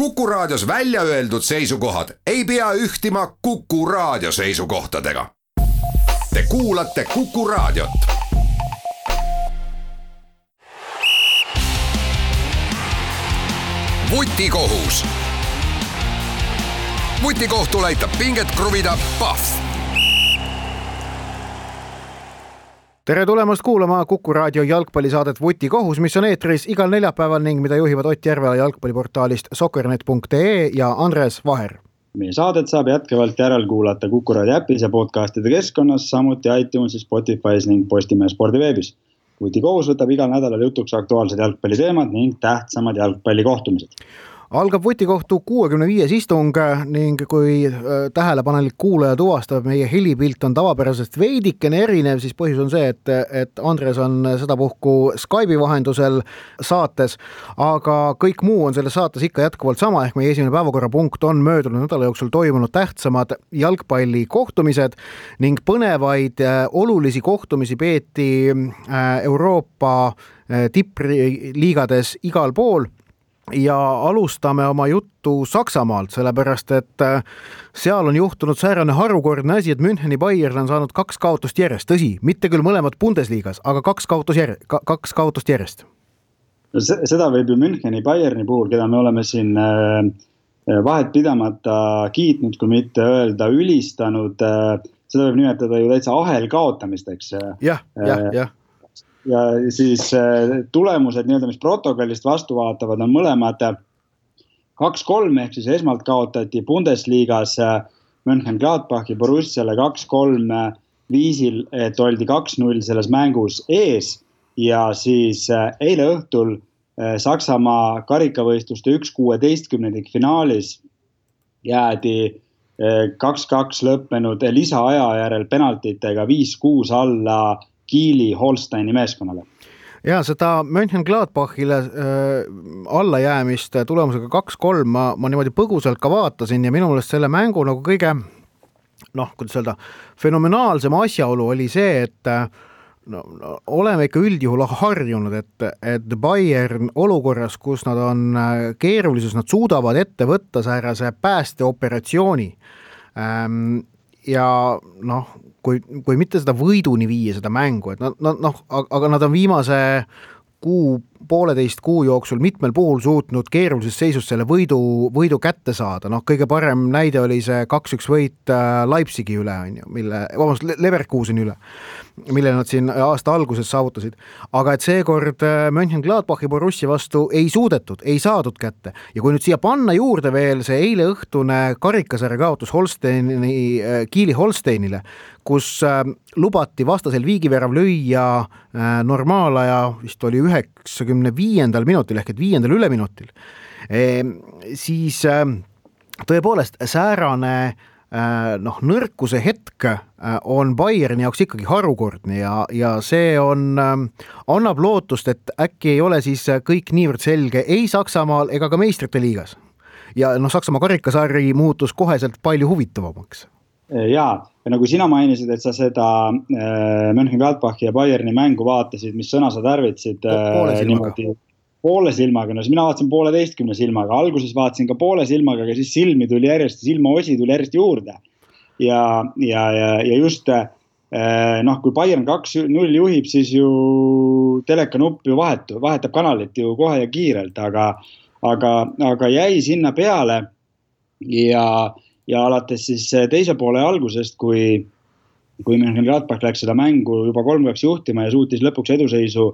Kuku Raadios välja öeldud seisukohad ei pea ühtima Kuku Raadio seisukohtadega. Te kuulate Kuku Raadiot. Vutikohus. Vutikohtul aitab pinget kruvida Pahv. Tere tulemast kuulama Kuku Raadio jalgpallisaadet Vutikohus, mis on eetris igal neljapäeval ning mida juhivad Ott Järvela jalgpalliportaalist soccernet.ee ja Andres Vaher. Meie saadet saab jätkavalt järelkuulata Kuku Raadio äpis ja podcastide keskkonnas, samuti iTunesis, Spotify's ning Postimehe spordiveebis. Vutikohus võtab igal nädalal jutuks aktuaalsed jalgpalliteemad ning tähtsamad jalgpallikohtumised. Algab Vutikohtu 65 istung ning kui tähelepanelik kuulaja tuvastab, meie helipilt on tavapärasest veidikene erinev, siis põhjus on see, et Andres on sedapuhku Skype'i vahendusel saates, aga kõik muu on selles saates ikka jätkuvalt sama, ehk meie esimene päevakorrapunkt on möödunud nädala jooksul toimunud tähtsamad jalgpallikohtumised ning põnevaid olulisi kohtumisi peeti Euroopa tippliigades igal pool. Ja alustame oma juttu Saksamaalt, sellepärast et seal on juhtunud säärane harukordne asi, et Müncheni Bayern on saanud 2 kaotust järjest. Tõsi, mitte küll mõlemad Bundesliigas, aga 2 kaotust järjest. Seda võib ju Müncheni Bayerni puhul, keda me oleme siin vahet pidamata kiitnud, kui mitte öelda ülistanud, seda võib nimetada ju täitsa ahel kaotamisteks. Jah. Ja siis tulemused, mis protokollist vastu vaatavad, on mõlemad 2-3, ehk siis esmalt kaotati Bundesliigas Mönchengladbachi Borussiale 2-3 viisil, et oldi 2-0 selles mängus ees ja siis eile õhtul Saksamaa karikavõistluste 1/16 finaalis jäädi 2-2 lõppenud lisaaja järel penaltitega 5-6 alla Kiili Holsteini meeskonnale. Ja seda Mönchengladbachile allajäämist tulemusega 2-3 ma niimoodi põgusalt ka vaatasin ja minu meelest selle mängu nagu kõige, kuidas öelda, fenomenaalsem asjaolu oli see, et oleme ikka üldjuhul harjunud, et Bayern olukorras, kus nad on keerulisus, nad suudavad ette võtta säärase päästeoperatsiooni ja kui mitte seda võiduni viia seda mängu, et aga nad on viimase poolteist kuu jooksul mitmel puhul suutnud keerulises seisus selle võidu kätte saada. Kõige parem näide oli see 2-1 võit Leipzigi üle, Leverkuseni üle, mille nad siin aasta alguses saavutasid. Aga et seekord Mönchengladbachi Borussia vastu ei suudetud, ei saadud kätte. Ja kui nüüd siia panna juurde veel see eile õhtune karikasarja kaotus Kiili Holsteinile, kus lubati vastasel viigivärav lüüa normaalaja, vist oli 95. minutil ehk et 5. üleminutil, siis tõepoolest säärane nõrkuse hetk on Bayerni jaoks ikkagi harukordne ja see annab lootust, et äkki ei ole siis kõik niivõrd selge ei Saksamaal ega ka meistrite liigas. Ja Saksamaa karikasarji muutus koheselt palju huvitavamaks. Jaa, ja nagu sina mainisid, et sa seda Mönchengladbachi ja Bayerni mängu vaatasid, mis sõna sa tarvitsid poole silmaga, siis mina vaatasin 1,5 silmaga, alguses vaatasin ka poole silmaga, aga siis silmi tuli järjest, silmaosi tuli järjest juurde ja just kui Bayern 2-0 juhib, siis ju telekanupp ju vahetab kanalit ju kohe ja kiirelt, aga jäi sinna peale ja alates siis teise poole algusest, kui Mönchengladbach läks seda mängu juba 3-2 juhtima ja suutis lõpuks eduseisu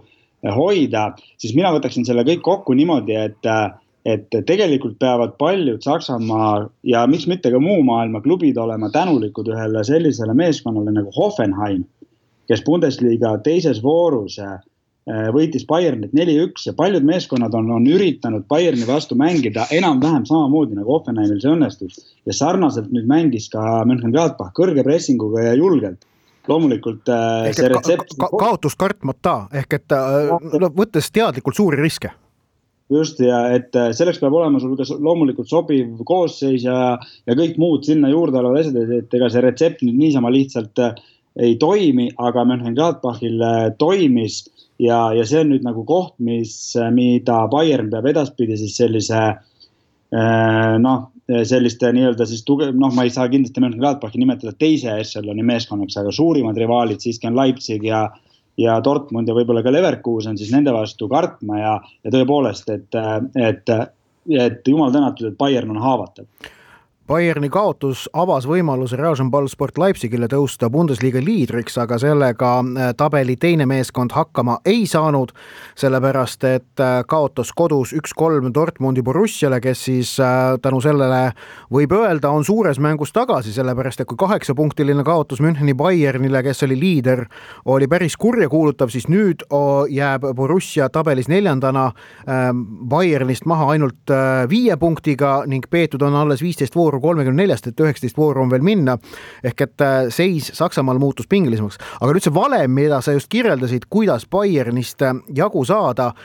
hoida, siis mina võtaksin selle kõik kokku niimoodi, et tegelikult peavad paljud Saksamaa ja miks mitte ka muu maailma klubid olema tänulikud ühele sellisele meeskonnale nagu Hoffenheim, kes Bundesliga teises voorus võitis Bayernit 4-1 ja paljud meeskonnad on üritanud Bayerni vastu mängida enam-vähem samamoodi nagu Hoffenheimil see õnnestus ja sarnaselt nüüd mängis ka Mönchengladbach kõrge pressinguga ja julgelt. Loomulikult see retsept kaotus kartmata ehk et võttes teadlikult suuri riske. Just ja et selleks peab olema sul ka loomulikult sobiv koosseis ja kõik muud sinna juurde olevad asjad, et ega see retsept nüüd niisama lihtsalt ei toimi, aga Mönchengladbachil toimis ja see on nüüd nagu koht, mida Bayern peab edaspidi siis sellise selliste nii-öelda siis ma ei saa kindlasti Mönchengladbachi nimetada teise ešeloni meeskonnaks, aga suurimad rivaalid siiski on Leipzig ja Dortmund ja võib-olla ka Leverkusen, siis nende vastu kartma ja tõepoolest, et jumal tänatud, et Bayern on haavatav. Bayerni kaotus avas võimaluse Rasenballsport Leipzigile tõusta Bundesliga liidriks, aga sellega tabeli teine meeskond hakkama ei saanud, sellepärast et kaotas kodus 1-3 Dortmundi Borussiale, kes siis tänu sellele võib öelda on suures mängus tagasi, sellepärast et kui 8-punktiline kaotus Müncheni Bayernile, kes oli liider, oli päris kurja kuulutav, siis nüüd jääb Borussia tabelis 4. Bayernist maha ainult 5 punktiga ning peetud on alles 15 vooru 34, et 19 vooru on veel minna, ehk et seis Saksamaal muutus pingelisemaks. Aga nüüd see valem, mida sa just kirjeldasid, kuidas Bayernist jagu saada,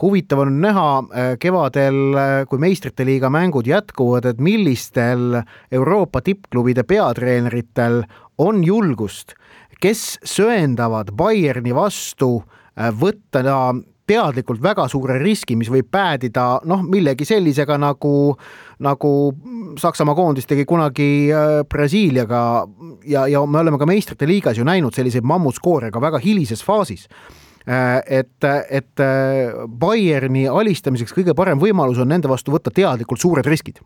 huvitav on näha kevadel, kui meistrite liiga mängud jätkuvad, et millistel Euroopa tippklubide peatreeneritel on julgust, kes söendavad Bayerni vastu võtta teadlikult väga suure riski, mis võib päädida millegi sellisega nagu Saksamaa koondis tegi kunagi Brasiiliaga ja me oleme ka meistrite liigas ju näinud selliseid mammutskoorega väga hilises faasis. Et Bayerni alistamiseks kõige parem võimalus on nende vastu võtta teadlikult suured riskid.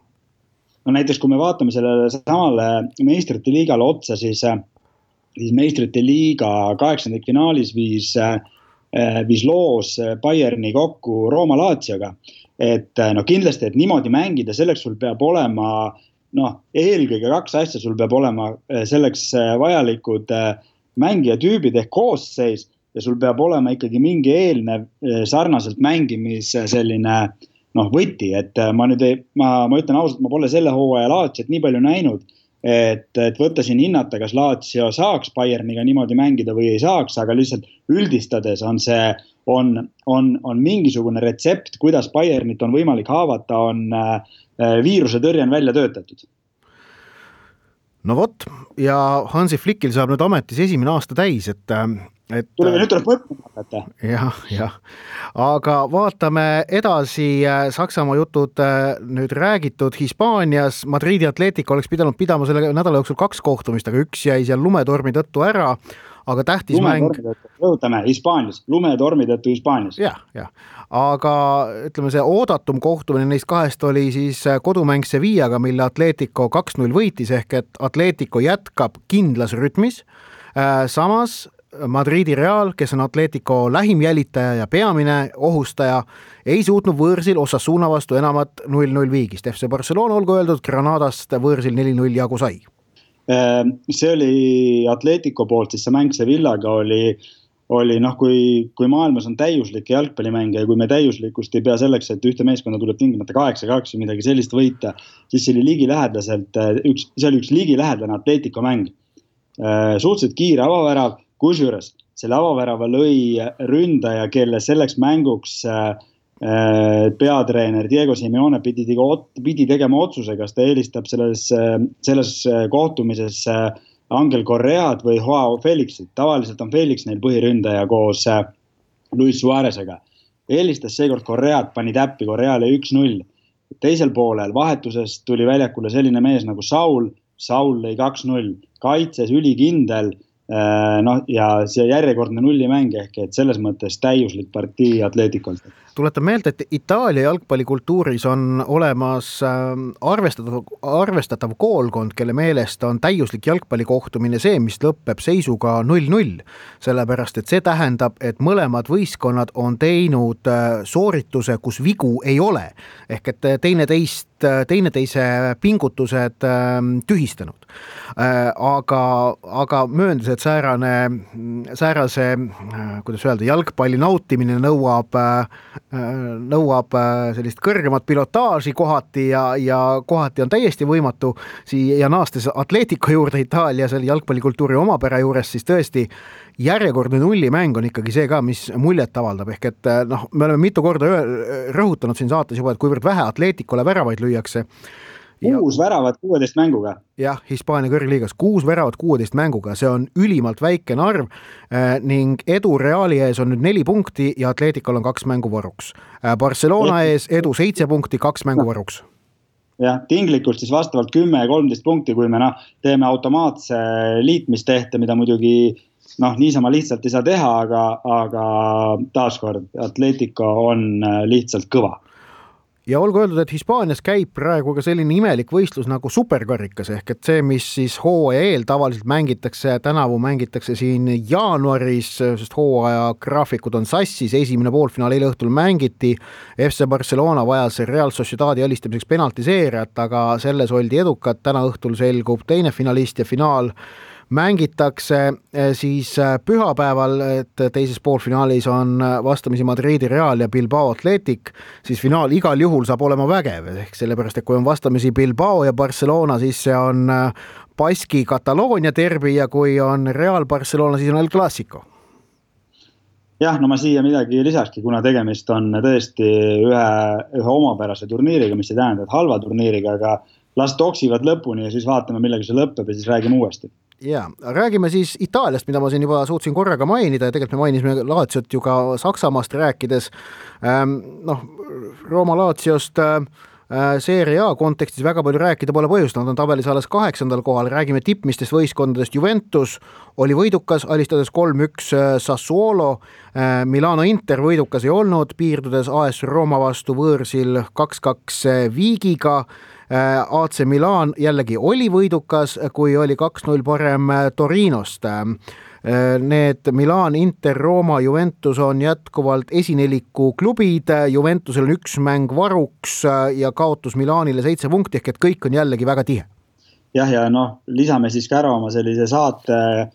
No näiteks kui me vaatame sellele samale meistrite liigale otsa, siis meistrite liiga 8. finaalis viis loos Bayerni kokku Rooma Lazioga, et kindlasti, et niimoodi mängida, selleks sul peab olema eelkõige 2 asja, sul peab olema selleks vajalikud mängijatüübid ehk koosseis ja sul peab olema ikkagi mingi eelnev sarnaselt mängimis selline võti, et ma ütlen ausalt, ma pole selle hooaja Laziot nii palju näinud, et võtta siin hinnata, kas Lazio saaks Bayerniga niimoodi mängida või ei saaks, aga lihtsalt üldistades on mingisugune retsept, kuidas Bayernit on võimalik haavata, on viiruse tõrje on välja töötatud. No vot, ja Hansi Flickil saab nüüd ametis 1. aasta täis, nüüd tuleb võtma. Jah. Aga vaatame edasi, Saksamaa jutud nüüd räägitud Hispaanias. Madridi Atletico oleks pidama selle nädala jooksul 2 kohtumist, aga üks jäi seal lumetormi tõttu ära. Aga tähtis rõhutame Hispaanias, lumetormi tõttu Hispaanias. Jah. Aga ütleme, see oodatum kohtumine neist 2 oli siis kodumäng Sevillaga, mille Atletico 2-0 võitis, ehk et Atletico jätkab kindlas rütmis. Samas Madridi Real, kes on Atletico lähim jälitaja ja peamine ohustaja, ei suutnud võõrsil Osasuna vastu enamat 0-0 viigist. FC Barcelona, olgu öeldud, Granadast võõrsil 4-0 jagu sai. See oli Atletico poolt, siis see mäng Sevillaga oli kui maailmas on täiuslik jalgpallimäng ja kui me täiuslikust ei pea selleks, et ühte meeskonda tuleb tingimata 8-2 või midagi sellist võita, siis see oli ligilähedaselt, see oli üks ligilähedane Atletico mäng. Suhteliselt kiire avavärav, kusjuures selle avavärava lõi ründaja, kelle selleks mänguks peatreener Diego Simeone pidi tegema otsuse, kas ta eelistab selles kohtumises Angel Corread või Joao Felixit. Tavaliselt on Felix neil põhiründaja koos Luis Suarezega. Eelistas seekord Corread, pani täppi Correale 1-0. Teisel poolel vahetusest tuli väljakule selline mees nagu Saul lõi 2-0. Kaitses ülikindel, ja see järjekordne nullimäng ehk et selles mõttes täiuslik partii Atleticolt. Tuletan meelde, et Itaalia jalgpallikultuuris on olemas arvestatav koolkond, kelle meelest on täiuslik jalgpallikohtumine see, mis lõpeb seisuga 0-0. Sellepärast, et see tähendab, et mõlemad võistkonnad on teinud soorituse, kus vigu ei ole. Ehk et teineteise pingutused tühistanud. Aga mööndes, et säärase, kuidas öelda, jalgpalli nautimine nõuab sellist kõrgemat pilotaaži kohati ja kohati on täiesti võimatu ja naastes Atletico juurde Itaalia selle jalgpallikultuuri omapära juures, siis tõesti järjekordne nullimäng on ikkagi see ka, mis muljet avaldab, ehk et me oleme mitu korda rõhutanud siin saates juba, et kuivõrd vähe Atleticole väravaid lüüakse 6 väravat 16 mänguga. Jah, Hispaania kõrgliigas 6 väravat 16 mänguga, see on ülimalt väikene arv ning Edu Reali ees on nüüd 4 punkti ja Atleticol on 2 mängu varuks. Barcelona ees Edu 7 punkti, 2 mängu varuks. Jah, tinglikult siis vastavalt 10 ja 13 punkti, kui me teeme automaatse liitmistehte, mida muidugi niisama lihtsalt ei saa teha, aga taaskord Atletico on lihtsalt kõva. Ja olgu öeldud, et Hispaanias käib praegu ka selline imelik võistlus nagu superkarikas ehk et see, mis siis hooaja eel tavaliselt mängitakse, tänavu mängitakse siin jaanuaris, sest hooaja graafikud on sassis, esimene poolfinaal eile õhtul mängiti, FC Barcelona vajas Real Sociedadi alistamiseks penaltiseerijat, aga selles oldi edukad, täna õhtul selgub teine finalist ja finaal mängitakse siis pühapäeval, et teises poolfinaalis on vastamisi Madridi Real ja Bilbao Athletic, siis finaal igal juhul saab olema vägev, ehk sellepärast, et kui on vastamisi Bilbao ja Barcelona, siis see on Baski Kataloonia derbi ja kui on Real Barcelona, siis on El Clásico. Jah, ma siia midagi lisakski, kuna tegemist on tõesti ühe omapärase turniiriga, mis ei tähenda, et halva turniiriga, aga las toksivad lõpuni ja siis vaatame, millega see lõpeb ja siis räägime uuesti. Ja, räägime siis Itaaliast, mida ma siin juba suutsin korraga mainida ja tegelikult me mainisime Laziot ju ka Saksamaast rääkides. Rooma Laziost Serie A kontekstis väga palju rääkida pole põhjust, nad on tabelis alles 8. kohal, räägime tippmistest võistkondadest. Juventus oli võidukas, alistades 3-1 Sassuolo, Milano Inter võidukas ei olnud, piirdudes AS Rooma vastu võõrsil 2-2 Viigiga. AC Milan jällegi oli võidukas, kui oli 2-0 parem Torinost. Need Milan, Inter, Rooma, Juventus on jätkuvalt esineliku klubid, Juventusel on 1 mäng varuks ja kaotus Milanile 7 punkti, ehk et kõik on jällegi väga tihe. Jah, ja lisame siis ka ära oma sellise saate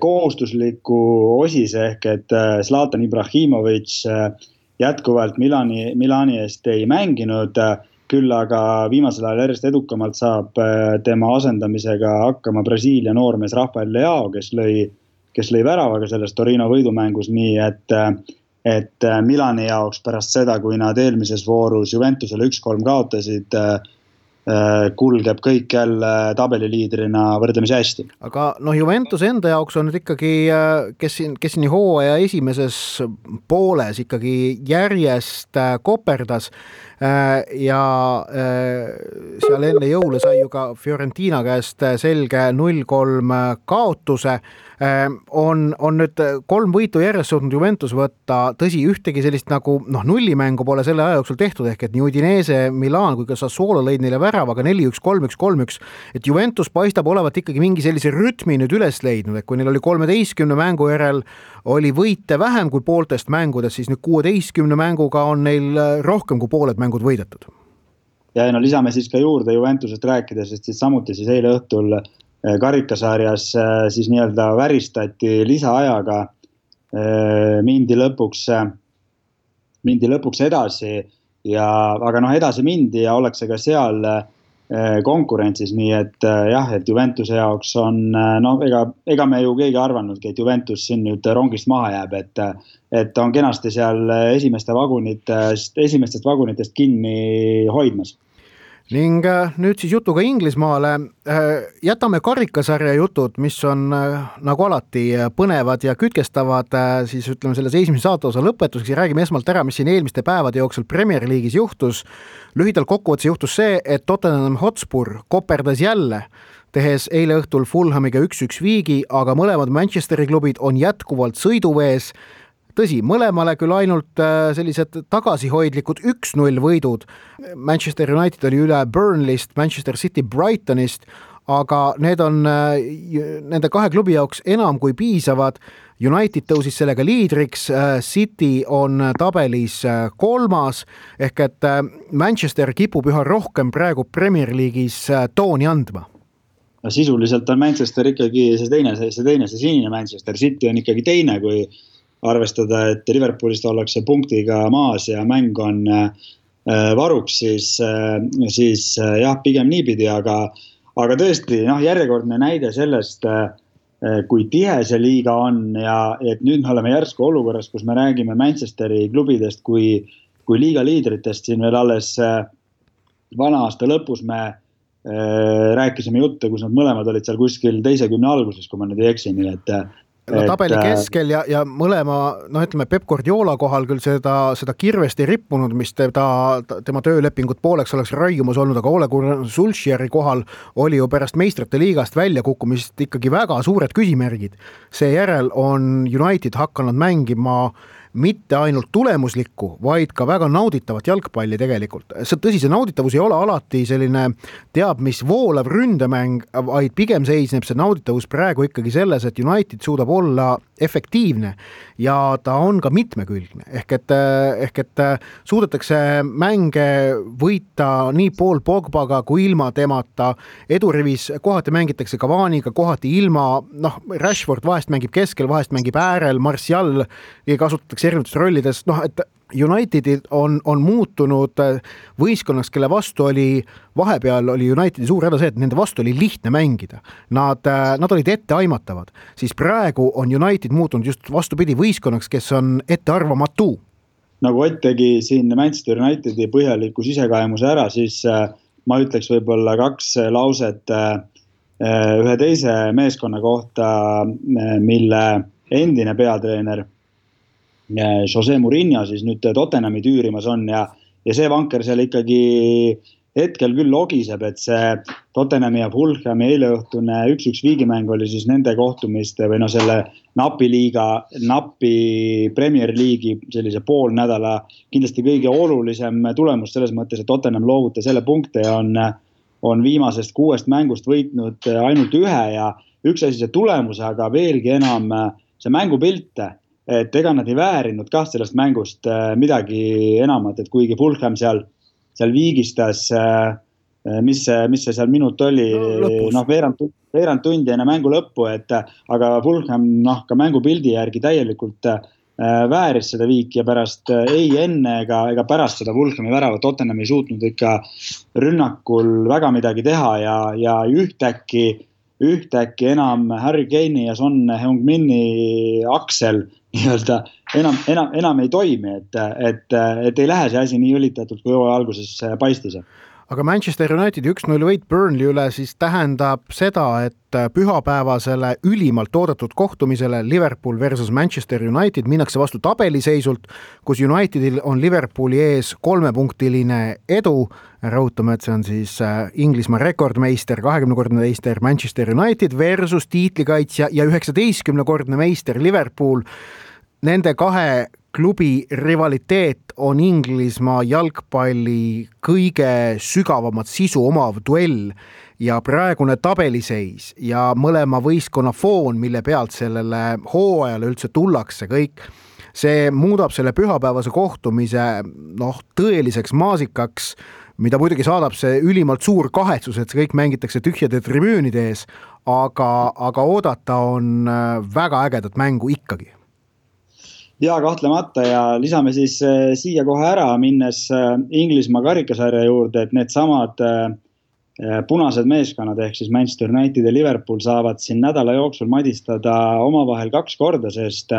kohustusliku osise, ehk et Zlatan Ibrahimovic jätkuvalt Milani eest ei mänginud, küll aga viimasel ajal järjest edukamalt saab tema asendamisega hakkama Brasiilia noormees Rafael Leao, kes lõi väravaga selles Torino võidumängus, nii et Milani jaoks pärast seda, kui nad eelmises voorus Juventusele 1-3 kaotasid, kulgeb kõik jälle tabeliliidrina võrdlemisi hästi. Aga Juventus enda jaoks on nüüd ikkagi, kes siin hooaja esimeses pooles ikkagi järjest koperdas ja seal enne jõule sai ju ka Fiorentina käest selge 0-3 kaotuse. On nüüd 3 võitu järjest suutnud Juventus võtta, tõsi, ühtegi sellist nagu nullimängu pole selle aja jooksul tehtud, ehk et nii Udinese, Milan kui ka Sassuolo lõid neile väravaga 4-1, 3-1, 3-1, et Juventus paistab olevat ikkagi mingi sellise rütmi nüüd üles leidnud, et kui neil oli 13 mängu järel oli võite vähem kui pooltest mängudest, siis nüüd 16 mänguga on neil rohkem kui pooled mängud võidetud. Ja lisame siis ka juurde Juventusest rääkides, sest siis samuti siis eile õhtul karikasarjas siis nii-öelda väristati lisaajaga, mindi lõpuks edasi, aga edasi mindi ja ollakse ka seal konkurentsis, nii et jah, et Juventuse jaoks on, ega me ju keegi arvannudki, et Juventus siin nüüd rongist maha jääb, et on kenasti seal esimestest vagunitest kinni hoidmas. Ning nüüd siis jutuga Inglismaale, jätame karikasarja jutud, mis on nagu alati põnevad ja kütkestavad, siis ütleme selles esimese saateosa lõpetuseks ja räägime esmalt ära, mis siin eelmiste päevade jooksul Premier League'is juhtus. Lühidalt kokkuvõttes juhtus see, et Tottenham Hotspur koperdas jälle, tehes eile õhtul Fulhamiga 1-1 viigi, aga mõlemad Manchesteri klubid on jätkuvalt sõiduvees. Tõsi, mõlemale küll ainult sellised tagasihoidlikud 1-0 võidud. Manchester United oli üle Burnleyst, Manchester City Brightonist, aga need on nende 2 klubi jaoks enam kui piisavad. United tõusis sellega liidriks, City on tabelis 3. ehk et Manchester kipub üha rohkem praegu Premier League'is tooni andma. Sisuliselt on Manchester ikkagi see sinine Manchester, City on ikkagi teine, kui arvestada, et Liverpoolist ollakse punktiga maas ja mäng on varuks, siis jah, pigem niipidi, aga tõesti, järjekordne näide sellest, kui tihe see liiga on ja et nüüd me oleme järsku olukorras, kus me räägime Manchesteri klubidest kui liiga liidritest siin veel alles vana aasta lõpus me rääkisime jutte, kus nad mõlemad olid seal kuskil teise 10 alguses, kui ma nüüd ei eksi, nii et tabeli keskel ja mõlema, ütleme Pep Guardiola kohal küll seda kirvest ei rippunud, mis tema töölepingut pooleks oleks raiumas olnud, aga Ole Gunnar Solskjaeri kohal oli ju pärast meistrite liigast väljakukkumist ikkagi väga suured küsimärgid. Seejärel on United hakanud mängima mitte ainult tulemuslikku, vaid ka väga nauditavat jalgpalli tegelikult. Tõsi, see nauditavus ei ole alati selline teab mis voolav ründemäng, vaid pigem seisneb see nauditavus praegu ikkagi selles, et United suudab olla efektiivne ja ta on ka mitmekülgne. Ehk et suudetakse mänge võita nii Paul Pogbaga kui ilma temata. Edurivis kohati mängitakse Cavaniga, kohati ilma, Rashford vahest mängib keskel, vahest mängib äärel, Martial kasutatakse erinevates rollides, et Unitedil on muutunud võistkonnaks, kelle vastu vahepeal oli Unitedi suur häda see, et nende vastu oli lihtne mängida. Nad olid etteaimatavad. Siis praegu on United muutunud just vastupidi võistkonnaks, kes on ettearvamatu. Nagu Ott tegi siin Manchester Unitedi põhjaliku sisekaemuse ära, siis ma ütleks võib-olla 2 lauset ühe teise meeskonna kohta, mille endine peatreener Jose Mourinho siis nüüd Tottenhami tüürimas on ja see vanker seal ikkagi hetkel küll logiseb, et see Tottenhami ja Fulhami eileõhtune 1-1 viigimäng oli siis nende kohtumiste või selle napi Premier League'i sellise poolnädala kindlasti kõige olulisem tulemus selles mõttes, et Tottenham loovutas selle punkte ja on viimasest 6 mängust võitnud ainult 1 ja üks asi see tulemus, aga veelgi enam see mängupilt, et ega nad ei väärinud ka sellest mängust midagi enamat, et kuigi Fulham seal viigistas, mis see seal minut oli, veerand tundi enne mängu lõppu, aga Fulham ka mängupildi järgi täielikult vääris seda viiki ja pärast ei enne ega pärast seda Fulhami väravat Tottenham ei suutnud ikka rünnakul väga midagi teha ja ühtäkki enam Harry Kane'i ja Son Heung-Mini aksel enam ei toimi, et ei lähe see asi nii õlitatult, kui hooaja alguses paistis. Aga Manchester Unitedi 1-0 võit Burnley üle siis tähendab seda, et pühapäevasele ülimalt oodatud kohtumisele Liverpool versus Manchester United minnakse vastu tabeliseisult, kus Unitedil on Liverpooli ees 3-punktiline edu. Rõhutame, et see on siis Inglismaa rekordmeister, 20-kordne meister Manchester United versus tiitlikaitsja ja 19-kordne meister Liverpool. Nende 2 klubi rivaliteet on Inglismaa jalgpalli kõige sügavamat sisu omav duell ja praegune tabeliseis ja mõlema võistkonna foon, mille pealt sellele hooajale üldse tullakse kõik, see muudab selle pühapäevase kohtumise tõeliseks maasikaks, mida muidugi saadab see ülimalt suur kahetsus, et see kõik mängitakse tühjade tribüünide ees, aga oodata on väga ägedat mängu ikkagi. Ja kahtlemata ja lisame siis siia kohe ära, minnes Inglismaa karikasarja juurde, et need samad punased meeskonnad ehk siis Manchester United ja Liverpool saavad siin nädala jooksul madistada omavahel 2 korda, sest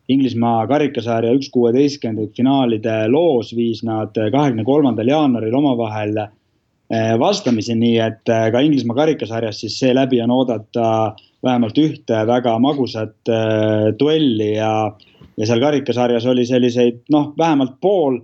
Inglismaa karikasarja 1/16 finaalide loos viis nad 23. jaanuaril omavahel vastamisi, nii et ka Inglismaa karikasarjas siis see läbi on oodata vähemalt ühte väga magusat duelli ja seal karikasarjas oli selliseid vähemalt pool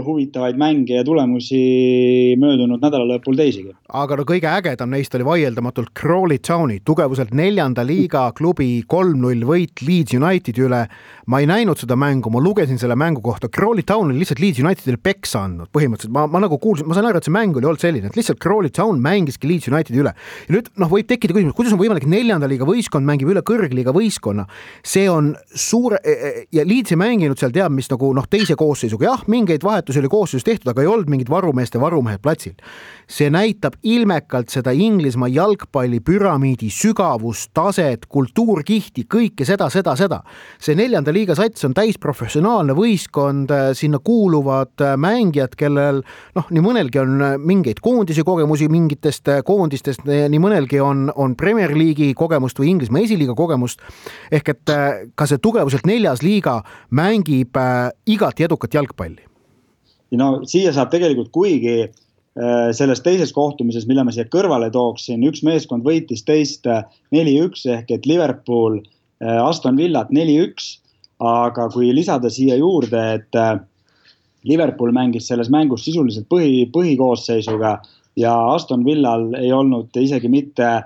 huvitavaid mänge ja tulemusi möödunud nädala lõpul teisigi. Aga kõige ägedam neist oli vaieldamatult Crawley Towni tugevuselt 4. liiga klubi 3-0 võit Leeds Unitedi üle. Ma ei näinud seda mängu, ma lugesin selle mängu kohta. Crawley Town oli lihtsalt Leeds Unitedile peksa andnud. Põhimõtteliselt ma nagu kuulsin, ma sain aru, et see mäng oli olnud selline, et lihtsalt Crawley Town mängiski Leeds Unitedi üle. Ja nüüd võib tekkida küsimus, kuidas on võimalik 4. liiga võistkond mängib üle kõrgliiga võistkonna. See on suur ja Leeds ei mänginud seal teab mis teise koosseisuga. Jah, mingeid vahetusi oli koosseisus tehtud, aga ei olnud mingid varumehed platsil. See näitab ilmekalt seda Inglismaa jalgpalli püramiidi sügavust, taset, kultuurkihti, kõike seda. See 4. liiga sats on täisprofessionaalne võistkond, sinna kuuluvad mängijad, kellel nii mõnelgi on mingeid koondisi kogemusi mingitest koondistest, nii mõnelgi on Premier League'i kogemust või Inglismaa esiliiga kogemust, ehk et ka see tugevuselt 4. liiga mängib igati edukat jalgpalli. Siia saab tegelikult, kuigi selles teises kohtumises, mille ma siia kõrvale tooksin, üks meeskond võitis teist 4-1 ehk et Liverpool Aston Villat 4-1, aga kui lisada siia juurde, et Liverpool mängis selles mängus sisuliselt põhikoosseisuga ja Aston Villal ei olnud isegi mitte,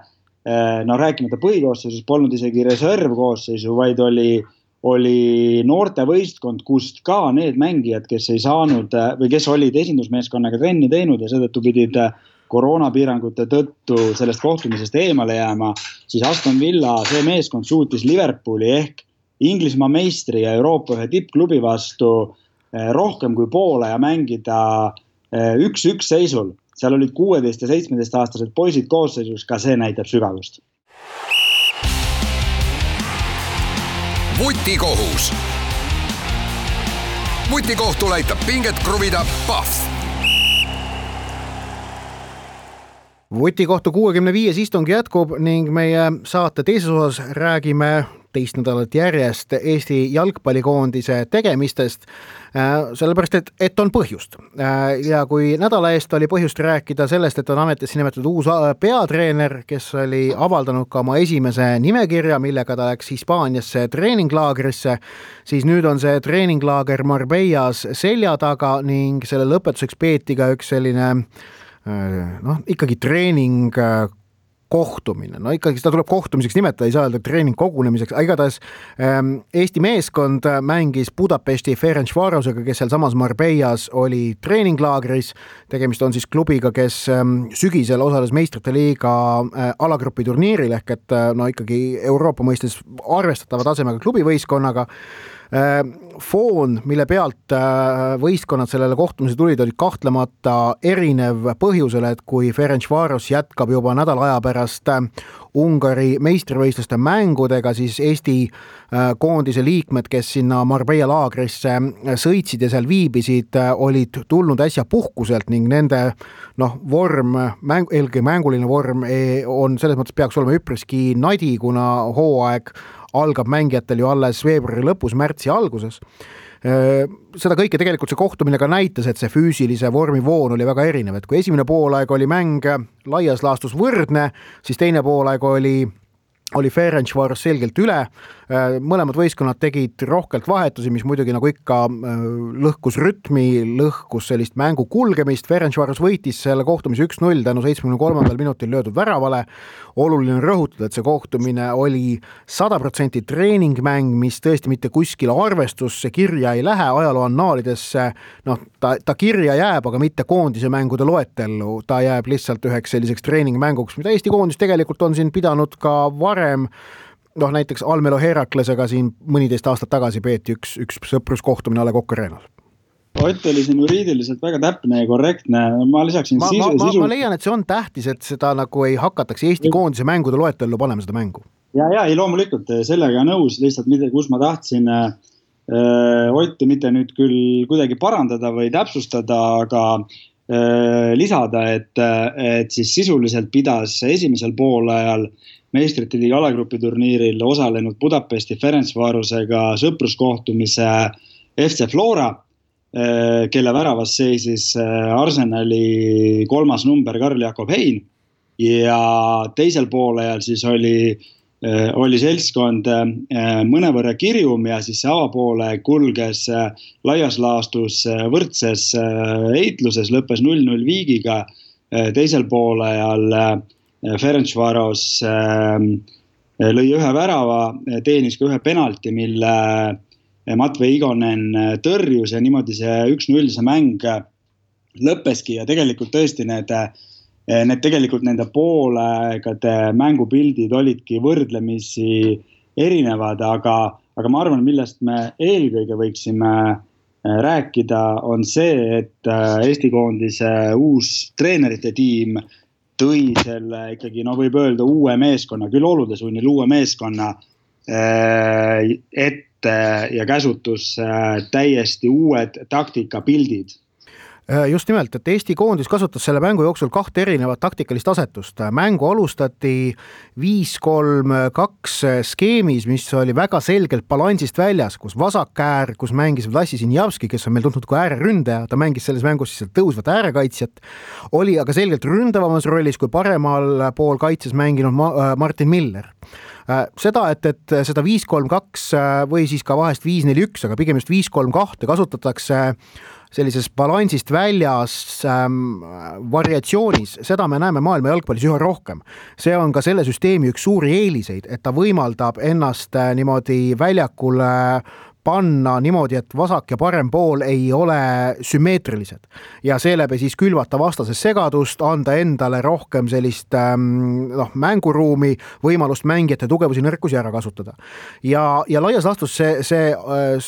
rääkimata põhikoosseisus, polnud isegi reservkoosseisu, vaid oli noorte võistkond, kust ka need mängijad, kes ei saanud või kes olid esindusmeeskonnaga trenni teinud ja seetõttu pidid koroonapiirangute tõttu sellest kohtumisest eemale jääma, siis Aston Villa, see meeskond suutis Liverpooli ehk Inglismaa meistri ja Euroopa ühe tippklubi vastu rohkem kui poole ja mängida 1-1 seisul. Seal olid 16 ja 17 aastased poisid koosseisus, ka see näitab sügavust. Vutikohus. Vutikohtul aitab pinget kruvida Pahv. Vutikohtu 65 istung jätkub ning meie saate teises osas räägime teist nädalat järjest Eesti jalgpallikoondise tegemistest, sellepärast, et on põhjust. Ja kui nädala eest oli põhjust rääkida sellest, et on ametisse nimetatud uus peatreener, kes oli avaldanud ka oma esimese nimekirja, millega ta läks Hispaaniasse treeninglaagrisse, siis nüüd on see treeninglaager Marbellas selja taga ning selle lõpetuseks peeti ka üks selline ikkagi treening kohtumine, ikkagi seda tuleb kohtumiseks nimetada, ei saa öelda treening kogunemiseks, igatahes Eesti meeskond mängis Budapesti Ferencvarosega, kes seal samas Marbellas oli treeninglaagris, tegemist on siis klubiga, kes sügisel osales meistrite liiga alagrupi turniiril ehk et ikkagi Euroopa mõistes arvestatava tasemega klubivõistkonnaga. Foon, mille pealt võistkonnad sellele kohtumise tulid, oli kahtlemata erinev põhjusele, et kui Ferencvaros jätkab juba nädala aja pärast Ungari meistrivõistluste mängudega, siis Eesti koondise liikmed, kes sinna Marbella laagrisse sõitsid ja seal viibisid, olid tulnud äsja puhkuselt ning nende vorm, eelkõige mänguline vorm on selles mõttes peaks olema üpriski nadi, kuna hooaeg algab mängijatel ju alles veebruari lõpus, märtsi alguses. Seda kõike tegelikult see kohtumine ka näitas, et see füüsilise vormi voon oli väga erinev, et kui esimene poolaeg oli mäng laias laastus võrdne, siis teine poolaeg oli Ferencvaros selgelt üle, mõlemad võistkonnad tegid rohkelt vahetusi, mis muidugi nagu ikka lõhkus rütmi, lõhkus sellist mängu kulgemist. Ferencvaros võitis selle kohtumise 1-0 tänu 73. minutil löödud väravale. Oluline on rõhutada, et see kohtumine oli 100% treeningmäng, mis tõesti mitte kuskil arvestusse kirja ei lähe, ajaloo annaalidesse, ta kirja jääb, aga mitte koondise mängude loetellu, ta jääb lihtsalt üheks selliseks treeningmänguks, mida Eesti koondis tegelikult on siin pidanud ka varem, näiteks Almelo Heraklesega siin mõniteist aastat tagasi peeti üks sõpruskohtumine A. Le Coq Arenal. Ott oli siin juriidiliselt väga täpne ja korrektne. Ma lisaksin sisu. Ma leian, et see on tähtis, et seda nagu ei hakataks Eesti koondise mängude loetellu panema seda mängu. Ja, ei loomulikult sellega nõus, lihtsalt kus ma tahtsin Otti mitte nüüd küll kuidagi parandada või täpsustada, aga lisada, et siis sisuliselt pidas esimesel poolajal meistrite liiga alagrupi turniiril osalenud Budapesti Ferencvarosega sõpruskohtumise FC Flora, kelle väravas seisis Arsenali 3. number Karl Jakob Hein ja teisel poolajal siis oli seltskond mõnevõrra kirjum ja siis see avapoole kulges laias laastus võrdses heitluses, lõppes 0-0 viigiga. Teisel poolajal Ferencvaros lõi ühe värava, teenis ka ühe penalti, mille Matvei Igonen tõrjus ja niimoodi see 1-0 see mäng lõppeski ja tegelikult tõesti nende poolaegade mängupildid olidki võrdlemisi erinevad, aga ma arvan, millest me eelkõige võiksime rääkida, on see, et Eesti koondise uus treenerite tiim tõi selle ikkagi, võib öelda uue meeskonna, küll olude sunnil uue meeskonna ette ja käsutus täiesti uued taktikapildid. Just nimelt, et Eesti koondis kasutas selle mängu jooksul 2 erinevat taktikalist asetust. Mängu alustati 5-3-2 skeemis, mis oli väga selgelt balansist väljas, kus vasakäär, kus mängis Vlassi Sinjavski, kes on meil tuntud kui ääreründaja, ta mängis selles mängus siis tõusvat äärekaitsjat, oli aga selgelt ründavamas rollis kui paremal pool kaitses mänginud Martin Miller. Seda, et seda 5-3-2 või siis ka vahest 5-4-1, aga pigem just 5-3-2 kasutatakse sellises balansist väljas variatsioonis, seda me näeme maailma jalgpallis üha rohkem. See on ka selle süsteemi üks suuri eeliseid, et ta võimaldab ennast niimoodi väljakule panna niimoodi, et vasak ja parem pool ei ole sümmeetrilised ja seeläbi siis külvata vastases segadust, anda endale rohkem sellist mänguruumi, võimalust mängijate tugevusi nõrkusi ära kasutada. Ja laias laastus see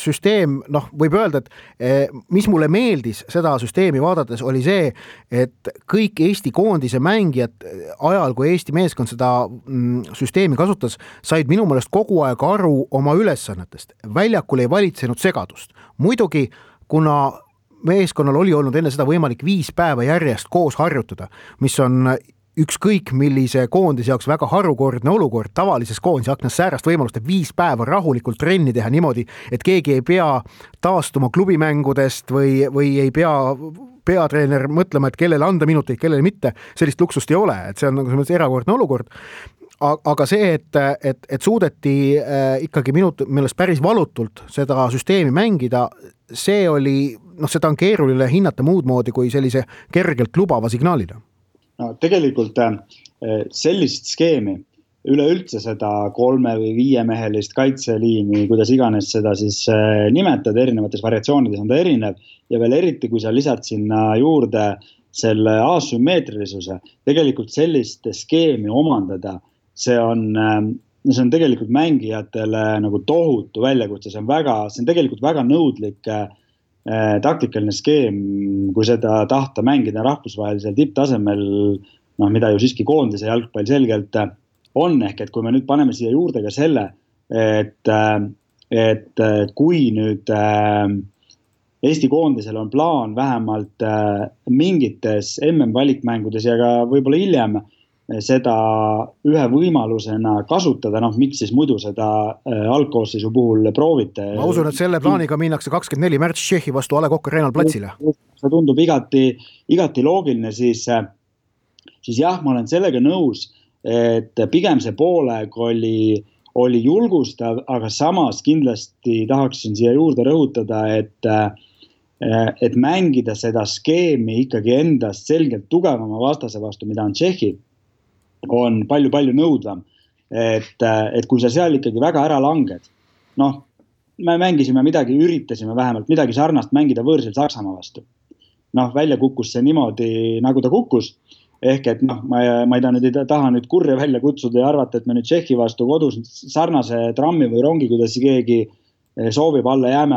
süsteem, võib öelda, et mis mulle meeldis seda süsteemi vaadates, oli see, et kõik Eesti koondise mängijad ajal, kui Eesti meeskond seda süsteemi kasutas, said minu meelest kogu aeg aru oma ülesannetest. Väljakul ei valitsenud segadust. Muidugi, kuna meeskonnal oli olnud enne seda võimalik 5 päeva järjest koos harjutada, mis on ükskõik millise koondise jaoks väga harukordne olukord, tavalises koondise aknas säärast võimalust, et 5 päeva rahulikult trenni teha niimoodi, et keegi ei pea taastuma klubimängudest või ei pea peatreener mõtlema, et kellele anda minuteid, kellele mitte, sellist luksust ei ole, et see on erakordne olukord. Aga see, et suudeti ikkagi minu meelest päris valutult seda süsteemi mängida, see oli, seda on keeruline hinnata muud moodi kui sellise kergelt lubava signaalina. No, tegelikult sellist skeemi, üleüldse seda 3 või 5 mehelist kaitseliini, kuidas iganes seda siis nimetada, erinevates variatsioonides on ta erinev ja veel eriti, kui sa lisad sinna juurde selle asümmeetrilisuse, tegelikult sellist skeemi omandada, see on tegelikult mängijatele nagu tohutu väljakutse, see on tegelikult väga nõudlik taktikaline skeem, kui seda tahta mängida rahvusvahelisel tipptasemel, mida ju siiski koondise jalgpall selgelt on, ehk et kui me nüüd paneme siia juurde ka selle, et kui nüüd Eesti koondisel on plaan vähemalt mingites MM-valikmängudes ja ka võib-olla hiljem seda ühe võimalusena kasutada, miks siis muidu seda algkoosseisu puhul proovite. Ma usun, et selle plaaniga minnakse 24 märts Tšehhi vastu A. Le Coq Arena'l platsile. See tundub igati loogiline, siis jah, ma olen sellega nõus, et pigem see poolek oli julgustav, aga samas kindlasti tahaksin siia juurde rõhutada, et mängida seda skeemi ikkagi endast selgelt tugevama vastase vastu, mida on Tšehhi, on palju nõudvam, et kui sa seal ikkagi väga ära langed, me mängisime üritasime vähemalt midagi sarnast mängida võõrsil Saksamaa vastu. Välja kukkus see niimoodi, nagu ta kukkus, ehk et ma ei taha nüüd kurja välja kutsuda ja arvata, et me nüüd Tšehhi vastu kodus sarnase trammi või rongi, kuidas keegi soovib alla jääme,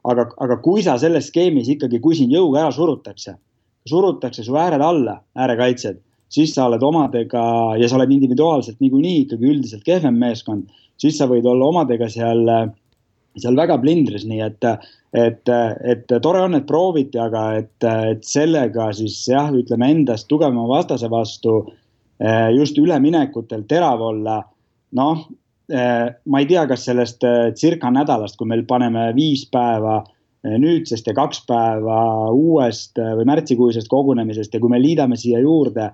aga kui sa selles skeemis ikkagi, kui sind jõuga ära surutakse su ääred alla, äärekaitsed, siis sa oled omadega ja sa oled individuaalselt niikuinii ikkagi üldiselt kehvem meeskond, siis sa võid olla omadega seal väga blindris, nii et tore on, et prooviti, aga et sellega siis jah, ütleme endast tugevama vastase vastu just üleminekutel terav olla, ma ei tea, kas sellest circa nädalast, kui meil paneme 5 päeva nüüdsest ja 2 päeva uuest või märtsikuisest kogunemisest ja kui me liidame siia juurde,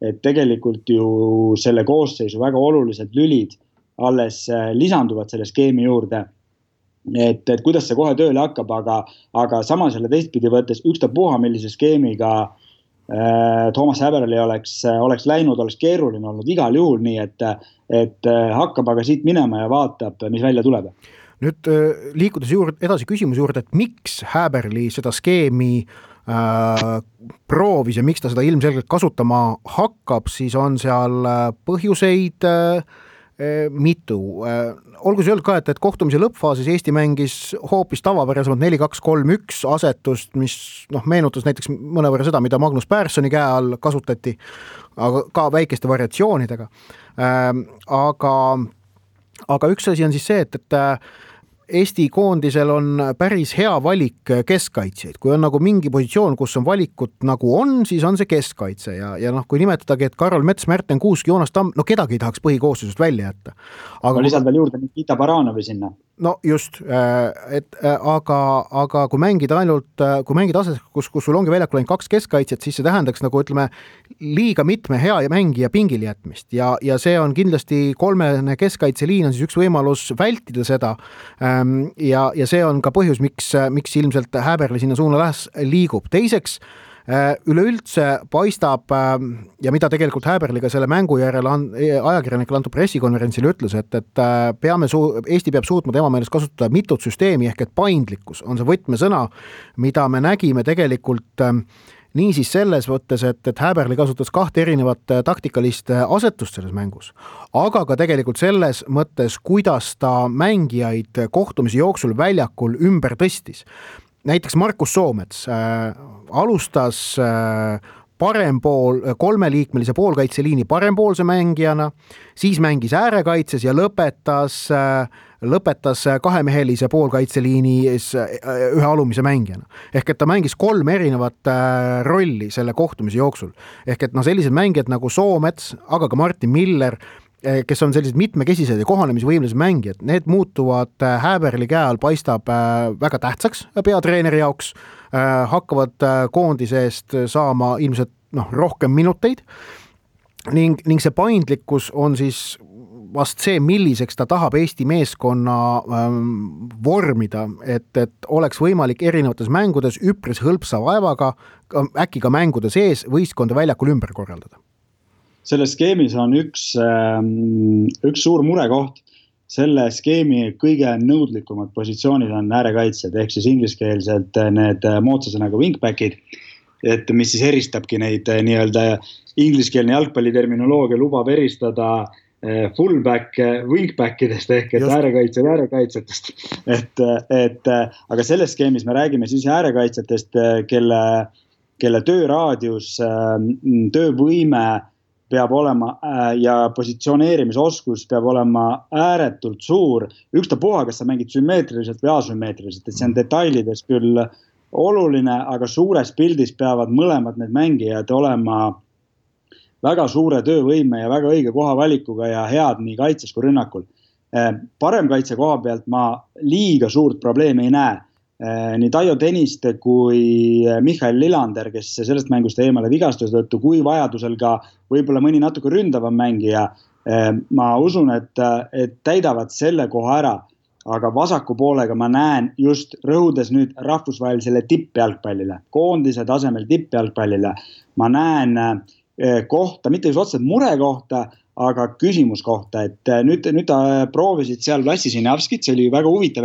et tegelikult ju selle koosseisu väga olulised lülid alles lisanduvad selle skeemi juurde, et kuidas see kohe tööle hakkab, aga samas jälle teistpidi võttes ükstapuha millise skeemiga Toomas Häberli oleks läinud, oleks keeruline olnud igal juhul, nii et hakkab aga siit minema ja vaatab, mis välja tuleb. Nüüd liikudes edasi küsimuse juurde, et miks Häberli seda skeemi proovis ja miks ta seda ilmselgelt kasutama hakkab, siis on seal põhjuseid mitu. Olgu see öeldud ka, et kohtumise lõppfaasis Eesti mängis hoopis tavapärasemalt 4-2-3-1 asetust, mis meenutas näiteks mõnevõrra seda, mida Magnus Pärssoni käe all kasutati, aga ka väikeste variatsioonidega. Aga üks asi on siis see, et Eesti koondisel on päris hea valik keskkaitsjaid, kui on nagu mingi positsioon, kus on valikut nagu on, siis on see keskkaitse ja noh, kui nimetadagi, et Karol Mets, Märten Kuusk, Joonas Tamm, no kedagi ei tahaks põhikooslusest välja jätta. Aga lisad veel juurde Nikita Baranovi sinna. No just, aga kui mängid ases, kus sul ongi väljakul ainult 2 keskkaitsjat, siis see tähendaks nagu ütleme liiga mitme hea ja mängija pingil jätmist ja see on kindlasti 3 keskkaitseliin on siis üks võimalus vältida seda ja see on ka põhjus, miks ilmselt Häberli sinna suuna liigub. Teiseks, üleüldse paistab ja mida tegelikult Häberliga selle mängu järel ajakirjanikele antud pressikonverentsil ütles, et Eesti peab suutma tema meelest kasutada mitut süsteemi ehk et paindlikkus on see võtmesõna, mida me nägime tegelikult niisiis selles võttes, et Häberli kasutas 2 erinevat taktikalist asetust selles mängus, aga ka tegelikult selles mõttes, kuidas ta mängijaid kohtumise jooksul väljakul ümber tõstis. Näiteks Markus Soomets alustas parempool, 3-liikmelise poolkaitseliini parempoolse mängijana, siis mängis äärekaitses ja lõpetas 2-mehelise poolkaitseliinis ühe alumise mängijana. Ehk et ta mängis 3 erinevat rolli selle kohtumise jooksul. Ehk et sellised mängijad nagu Soomets, aga ka Martin Miller, kes on sellised mitmekesised ja kohanemisvõimlised mängijad, need muutuvad Häberli käe all paistab väga tähtsaks peatreeneri jaoks, hakkavad koondise eest saama ilmselt rohkem minuteid ning see paindlikkus on siis vast see, milliseks ta tahab Eesti meeskonna vormida, et oleks võimalik erinevates mängudes üpris hõlpsa vaevaga, äkki ka mängude sees võistkonda väljakul ümber korraldada. Selles skeemis on üks suur murekoht. Selle skeemi kõige nõudlikumad positsioonid on äärekaitsjad, ehk siis ingliskeelselt need moodsasõnaga wingbackid, et mis siis eristabki neid nii-öelda ingliskeelne jalgpalliterminoloogia lubab eristada fullback wingbackidest ehk et äärekaitsjatest. Aga selles skeemis me räägime siis äärekaitsjatest, kelle tööraadius, töövõime peab olema ja positsioneerimisoskus peab olema ääretult suur. Ükstapuha, kas sa mängid sümmeetriliselt või asümmeetriliselt, et see on detailides küll oluline, aga suures pildis peavad mõlemad need mängijad olema väga suure töövõime ja väga õige kohavalikuga ja head nii kaitses kui rünnakul. Paremkaitse koha pealt ma liiga suurt probleemi ei näe. Nii Taio Tõniste kui Michael Lillander, kes sellest mängust eemale vigastuse tõttu, kui vajadusel ka võib-olla mõni natuke ründavam mängija, ma usun, et täidavad selle koha ära, aga vasaku poolega ma näen just rõhudes nüüd rahvusvahelisele tippjalgpallile, koondise tasemel tippjalgpallile, ma näen kohta, mitte just otseselt mure kohta, aga küsimus kohta, et nüüd proovisid seal Lassi Sinjavskit, see oli väga huvitav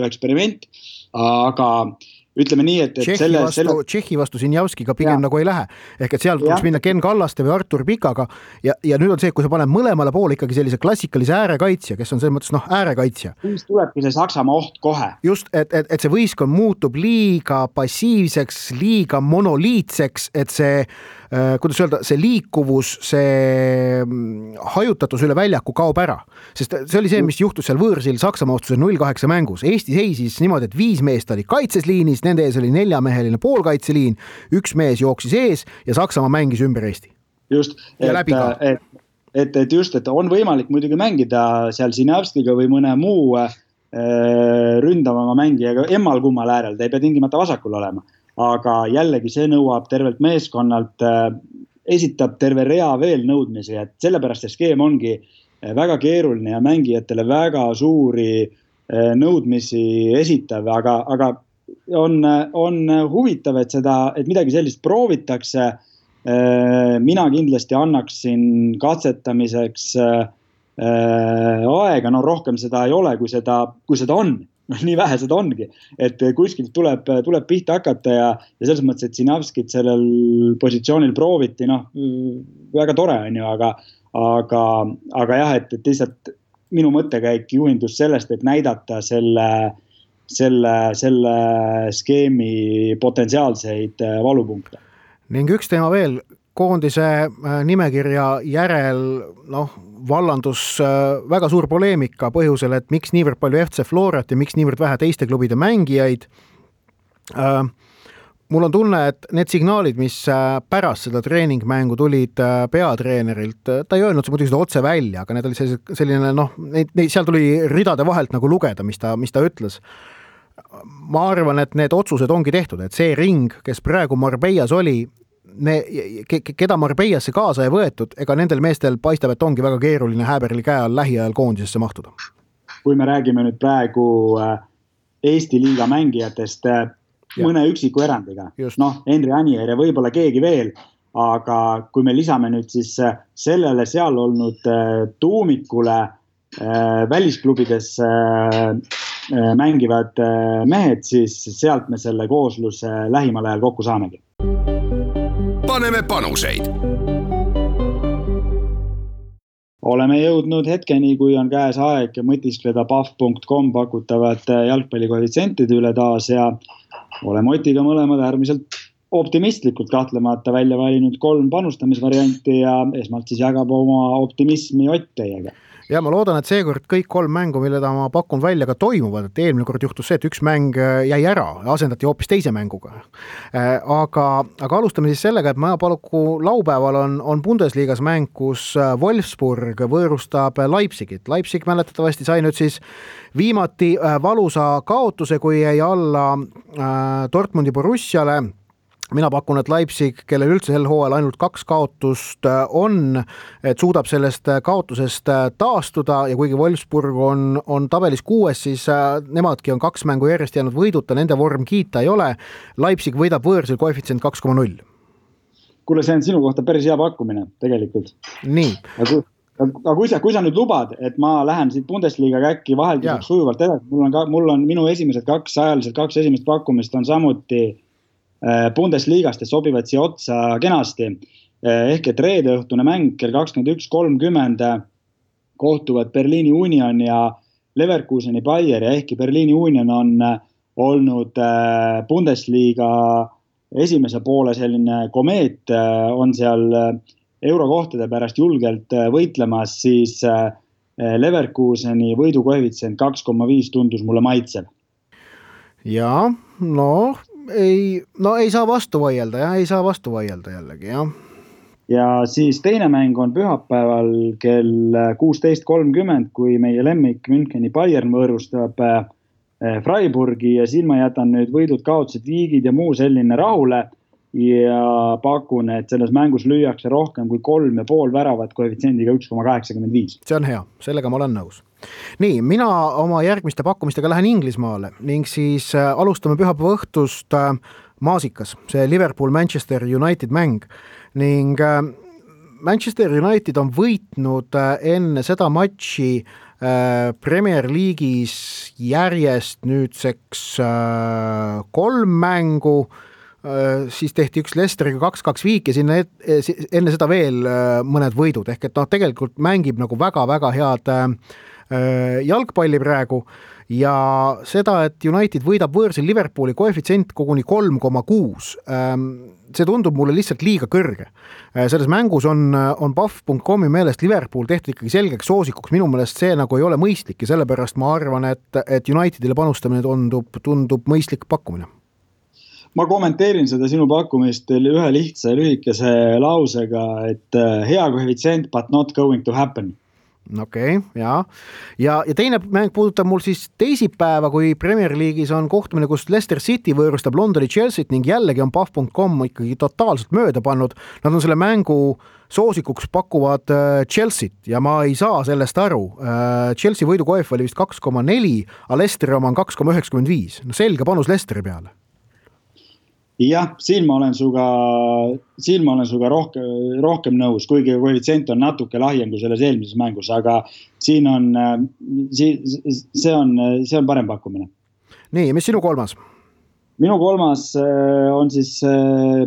eksperiment, aga ütleme nii, et Tšehhi vastu Sinjavskiga pigem nagu ei lähe. Ehk et seal tuleks minna Ken Kallaste või Artur Pikaga ja nüüd on see, kui sa paned mõlemale poole ikkagi sellise klassikalise äärekaitsja, kes on selles mõttes äärekaitsja. Siis tulebki see Saksamaa oht kohe. Just, et see võistkond muutub liiga passiivseks, liiga monoliitseks, et see kuidas öelda, see liikuvus, see hajutatus üle väljaku kaob ära. Sest see oli see, mis juhtus seal võõrsil Saksamaa ostuse 0-8 mängus. Eesti seisis niimoodi, et 5 meest oli kaitsesliinis, nende ees oli 4-meheline poolkaitseliin, 1 mees jooksis ees ja Saksamaa mängis ümber Eesti. Just, et on võimalik muidugi mängida seal Sinjavskiga või mõne muu ründavama mängijaga emmal kummal äärel, ta ei pea tingimata vasakul olema. Aga jällegi see nõuab tervelt meeskonnalt, esitab terve rea veel nõudmisi, et sellepärast see skeem ongi väga keeruline ja mängijatele väga suuri nõudmisi esitav, aga on huvitav, et midagi sellist proovitakse. Mina kindlasti annaksin katsetamiseks aega, rohkem seda ei ole, kui seda on. Nii vähe seda ongi, et kuskilt tuleb pihta hakata ja selles mõttes, et Sinjavskit sellel positsioonil prooviti, väga tore on ju, aga jah, et lihtsalt minu mõttekäik juhindus sellest, et näidata selle skeemi potentsiaalseid valupunkte. Ning üks teema veel, koondise nimekirja järel vallandus väga suur poleemika põhjusel, et miks niivõrd palju FC Florat ja miks niivõrd vähe teiste klubide mängijaid. Mul on tunne, et need signaalid, mis pärast seda treeningmängu tulid peatreenerilt, ta ei öelnud muidugi seda otse välja, aga need oli selline, seal tuli ridade vahelt nagu lugeda, mis ta ütles. Ma arvan, et need otsused ongi tehtud, et see ring, kes praegu Marbellas oli, keda Marbeillasse kaasa ei võetud, ega nendel meestel paistab, et ongi väga keeruline Häberli käe all lähiajal koondisesse mahtuda. Kui me räägime nüüd praegu Eesti liiga mängijatest mõne üksiku erandiga, Henri Anier ja võib-olla keegi veel, aga kui me lisame nüüd siis sellele seal olnud tuumikule välisklubides mängivad mehed, siis sealt me selle koosluse lähimal ajal kokku saamegi. Paneme panuseid. Oleme jõudnud hetkeni, kui on käes aeg mõtiskleda paf.com pakutavat jalgpallikoefitsentide üle taas ja oleme Otiga mõlemad äärmiselt optimistlikult kahtlemata välja valinud 3 panustamisvarianti ja esmalt siis jagab oma optimismi Ott teiega. Ja ma loodan, et seekord kõik 3 mängu, mille ma pakun välja ka toimuvad, et eelmine kord juhtus see, et üks mäng jäi ära ja asendati hoopis teise mänguga. Aga alustame siis sellega, et Majapalku laupäeval on Bundesliigas mäng, kus Wolfsburg võõrustab Leipzigit. Leipzig mäletatavasti sai nüüd siis viimati valusa kaotuse, kui jäi alla Dortmundi Borussiale. Mina pakun, et Leipzig, kellel üldse sel hooajal ainult 2 kaotust on, et suudab sellest kaotusest taastuda ja kuigi Wolfsburg on tabelis 6, siis nemadki on 2 mängu järjest jäänud võiduta, nende vorm kiita ei ole. Leipzig võidab võõrsil koefitsient 2,0. Kuule, see on sinu kohta päris hea pakkumine tegelikult. Nii. Aga kui sa nüüd lubad, et ma lähen siit Bundesliga käkki vahelduseks sujuvalt edasi, mul on minu esimesed 2 esimest pakkumist on samuti Bundesliigast sobivad siia otsa kenasti. Ehk et reede õhtune mäng kell 21.30 kohtuvad Berliini Union ja Leverkuseni Bayer ja ehkki Berliini Union on olnud Bundesliga esimese poole selline komeet, on seal eurokohtade pärast julgelt võitlemas, siis Leverkuseni võidukoefitsient 2,5 tundus mulle maitsev. Ja, ei saa vastu vaielda jällegi, jah. Ja siis teine mäng on pühapäeval kell 16.30, kui meie lemmik Müncheni Bayern võõrustab Freiburgi ja siin ma jätan nüüd võidud, kaotused, viigid ja muu selline rahule ja pakun, et selles mängus lüüakse rohkem kui 3,5 väravat koefitsiendiga 1,85. See on hea, sellega ma olen nõus. Nii, mina oma järgmiste pakkumistega lähen Inglismaale ning siis alustame pühapäeva õhtust maasikas, see Liverpool-Manchester United mäng ning Manchester United on võitnud enne seda matši Premier League'is järjest nüüdseks 3 mängu, siis tehti üks Leicesteriga 2-2 viik ja sinna enne seda veel mõned võidud, ehk et tegelikult mängib nagu väga-väga head jalgpalli praegu ja seda, et United võidab võõrsil Liverpooli koefitsient koguni 3,6, see tundub mulle lihtsalt liiga kõrge. Selles mängus on paf.comi meelest Liverpool tehtud ikkagi selgeks soosikuks, minu meelest see nagu ei ole mõistlik ja sellepärast ma arvan, et Unitedile panustamine tundub mõistlik pakkumine. Ma kommenteerin seda sinu pakkumist ühe lihtsa lühikese lausega, et hea koefitsient, but not going to happen. Okei, ja teine mäng puudutab mul siis teisipäeva, kui Premier League'is on kohtumine, kus Leicester City võõrustab Londoni Chelsea't ning jällegi on paf.com ikkagi totaalselt mööda pannud. Nad on selle mängu soosikuks pakuvad Chelsea't ja ma ei saa sellest aru. Chelsea võidukoef oli vist 2,4, aga Leicesteri oma on 2,95. Selge panus Leicesteri peale. Jah, siin ma olen suga rohkem nõus, kuigi koefitsient on natuke lahjem kui selles eelmises mängus, aga siin on, see on parem pakkumine. Nii, mis sinu kolmas? Minu kolmas on siis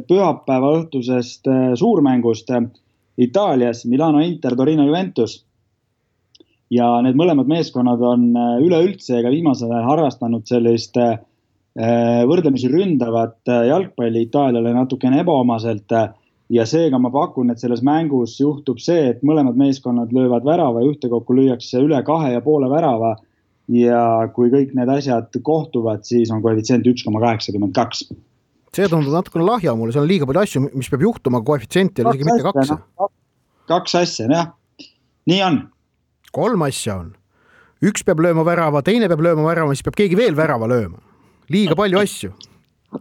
pühapäeva õhtusest suurmängust Itaalias, Milano Inter, Torino Juventus. Ja need mõlemad meeskonnad on üleüldse ega viimasel ajal harrastanud sellist võrdlemisi ründavat jalgpalli Itaaliale natukene ebaomaselt. ja seega ma pakun, et selles mängus juhtub see, et mõlemad meeskonnad löövad värava ja ühtekokku lüüakse üle 2,5 värava ja kui kõik need asjad kohtuvad, siis on koefitsient 1,82. See tundub natukene lahja mulle, seal on liiga palju asju, mis peab juhtuma, koefitsient ei ole isegi mitte 2. Kaks asja, jah. Nii on. 3 asja on. Üks peab lööma värava, teine peab lööma värava, siis peab keegi veel värava lööma. Liiga palju asju.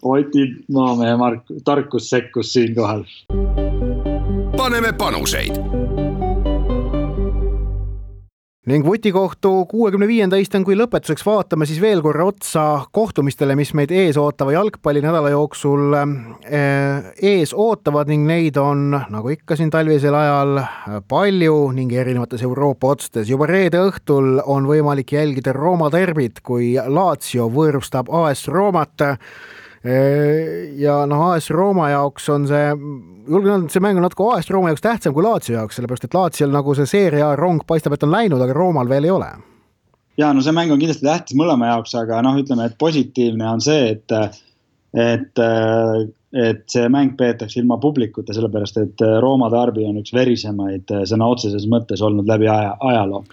Oti maamehe tarkus sekkus siin kohal. Paneme panuseid. Ning Vutikohtu 65. istung, kui lõpetuseks vaatame siis veel korra otsa kohtumistele, mis meid ees ootava jalgpallinädala jooksul ees ootavad ning neid on, nagu ikka siin talvisel ajal, palju ning erinevates Euroopa otstes. Juba reede õhtul on võimalik jälgida Rooma derbit, kui Lazio võõrustab AS Roomat. Ja AS Rooma jaoks on see mäng on natuke AS Rooma jaoks tähtsam kui Lazio jaoks, sellepärast et Laziol nagu see seeria rong paistab, et on läinud, aga Roomal veel ei ole. Ja no see mäng on kindlasti tähtis mõlema jaoks, aga ütleme, et positiivne on see, et see mäng peetakse ilma publikuta, sellepärast et Rooma darbi on üks verisemaid sõna otseses mõttes olnud läbi ajaloo.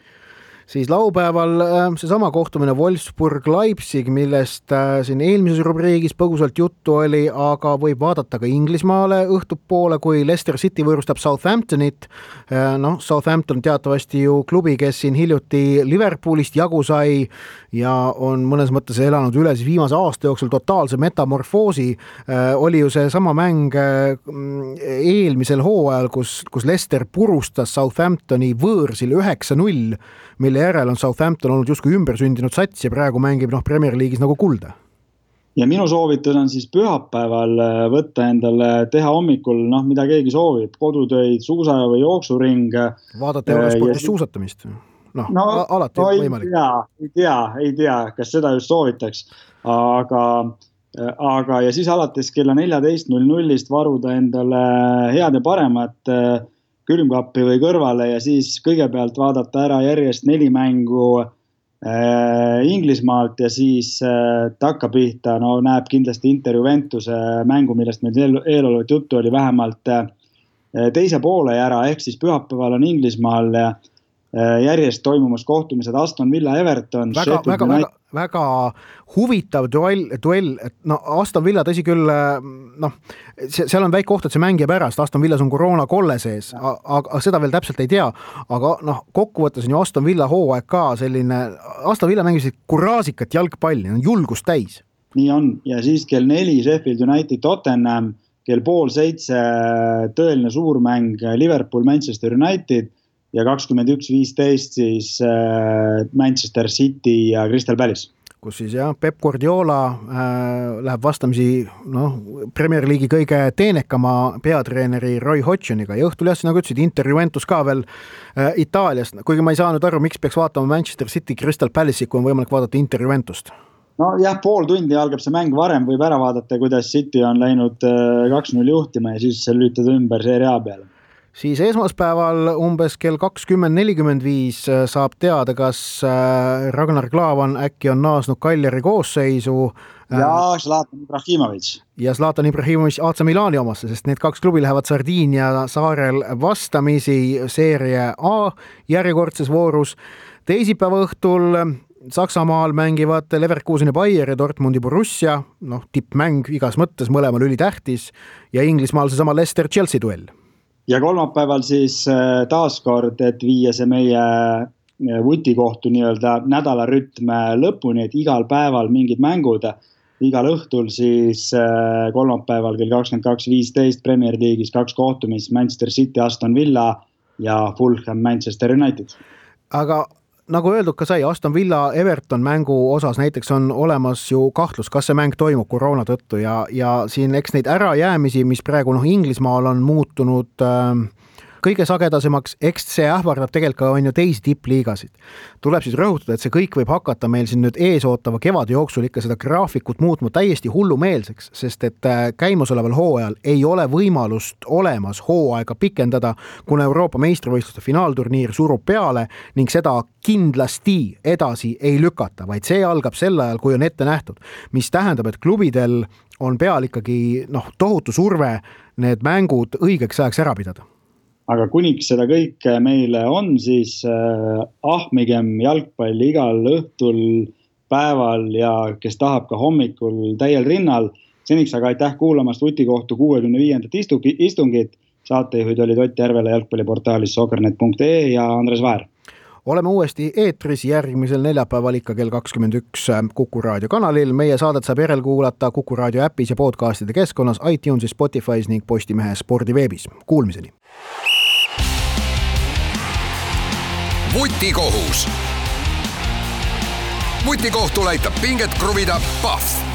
Siis laupäeval seesama kohtumine Wolfsburg-Leipzig, millest siin eelmises rubriigis põgusalt juttu oli, aga võib vaadata ka Inglismaale õhtupoole, kui Leicester City võõrustab Southamptonit. Southampton teatavasti ju klubi, kes siin hiljuti Liverpoolist jagu sai ja on mõnes mõttes elanud üle siis viimase aasta jooksul totaalse metamorfoosi. Oli ju see sama mäng eelmisel hooajal, kus Leicester purustas Southamptoni võõrsil 9-0, mille järel on Southampton olnud justkui ümbersündinud sats ja praegu mängib Premier League'is nagu kulda. Ja minu soovitus on siis pühapäeval võtta endale, teha hommikul, mida keegi soovib, kodutöid, suusa või jooksuring. Vaadata Eurospordis suusatamist? Alati võimalik. Ei tea, kas seda just soovitaks, aga ja siis alates kella 14.00 varuda endale head ja paremat külmkappi või kõrvale ja siis kõigepealt vaadata ära järjest 4 mängu Inglismaalt ja siis takkapihta, näeb kindlasti Inter Juventuse mängu, millest meil eelolevat juttu oli vähemalt teise poole ära, ehk siis pühapäeval on Inglismaal järjest toimumas kohtumised Aston Villa Everton. Väga huvitav duell, et Aston Villa tõsi küll, seal on väike koht, et see mängija pärast, Aston Villas on koroona kolle sees, aga seda veel täpselt ei tea, aga kokkuvõttes on ju Aston Villa hooaeg ka selline, Aston Villa mängisid kuraasikat jalgpalli, on julgust täis. Nii on, ja siis kell 4 Sheffield United Tottenham, kell 6:30 tõeline suurmäng Liverpool Manchester United ja 21:15 siis Manchester City ja Crystal Palace. Kus siis Pep Guardiola läheb vastamisi Premier League'i kõige teenekama peatreeneri Roy Hodgsoniga ja õhtul nagu ütlesid, Inter Juventus ka veel Itaaliast, kuigi ma ei saa nüüd aru, miks peaks vaatama Manchester City Crystal Palace'i, kui on võimalik vaadata Inter Juventust. Pool tundi algab see mäng varem, võib ära vaadata, kuidas City on läinud 2-0 juhtima ja siis lüütada ümber seeria peale. Siis esmaspäeval umbes kell 20:45 saab teada, kas Ragnar Klavan äkki on naasnud Cagliari koosseisu. Ja Zlatan Ibrahimovic. Ja Zlatan Ibrahimovic AC Milani omasse, sest need 2 klubi lähevad Sardiinia saarel vastamisi seeria A järjekordses voorus. Teisipäeva õhtul Saksamaal mängivad Leverkusen ja Bayer ja Dortmundi Borussia, tippmäng igas mõttes, mõlemal ülitähtis ja Inglismaal seesama Leicester-Chelsea duell. Ja kolmapäeval siis taaskord, et viia see meie Vutikohtu nädala rütme lõpuni, et igal päeval mingid mängud, igal õhtul siis kolmapäeval kell 22:15 Premier League'is 2 kohtumist, Manchester City, Aston Villa ja Fulham, Manchester United. Aga nagu öeldud ka sai, Aston Villa Everton mängu osas näiteks on olemas ju kahtlus, kas see mäng toimub koroona tõttu ja siin eks neid ärajäämisi, mis praegu Inglismaal on muutunud kõige sagedasemaks, eks see ähvardab tegelikult on ju teisi tippliigasid. Tuleb siis rõhutada, et see kõik võib hakata meil siin nüüd eesootava kevade jooksul ikka seda graafikut muutma täiesti hullumeelseks, sest et käimasoleval hooajal ei ole võimalust olemas hooaega pikendada, kuna Euroopa meistrivõistluste finaalturniir surub peale ning seda kindlasti edasi ei lükata, vaid see algab sel ajal, kui on ette nähtud, mis tähendab, et klubidel on peal ikkagi tohutu surve need mängud õigeks ajaks ära pidada. Aga kuniks seda kõike meile on, siis ahmigem jalgpalli igal õhtul, päeval ja kes tahab ka hommikul täiel rinnal. Seniks aga aitäh kuulamast Vutikohtu 65. istungit. Saatejuhid olid Ott Järvela jalgpalliportaalis soccernet.ee ja Andres Väär. Oleme uuesti eetris järgmisel neljapäeval ikka kell 21 Kuku Raadio kanalil. Meie saadet saab järelkuulata Kuku Raadio äpis ja podcastide keskkonnas, iTunesis, Spotify's ning Postimehe spordiveebis. Kuulmiseni! Vutikohus. Vutikohtul aitab pinget kruvida Pahv.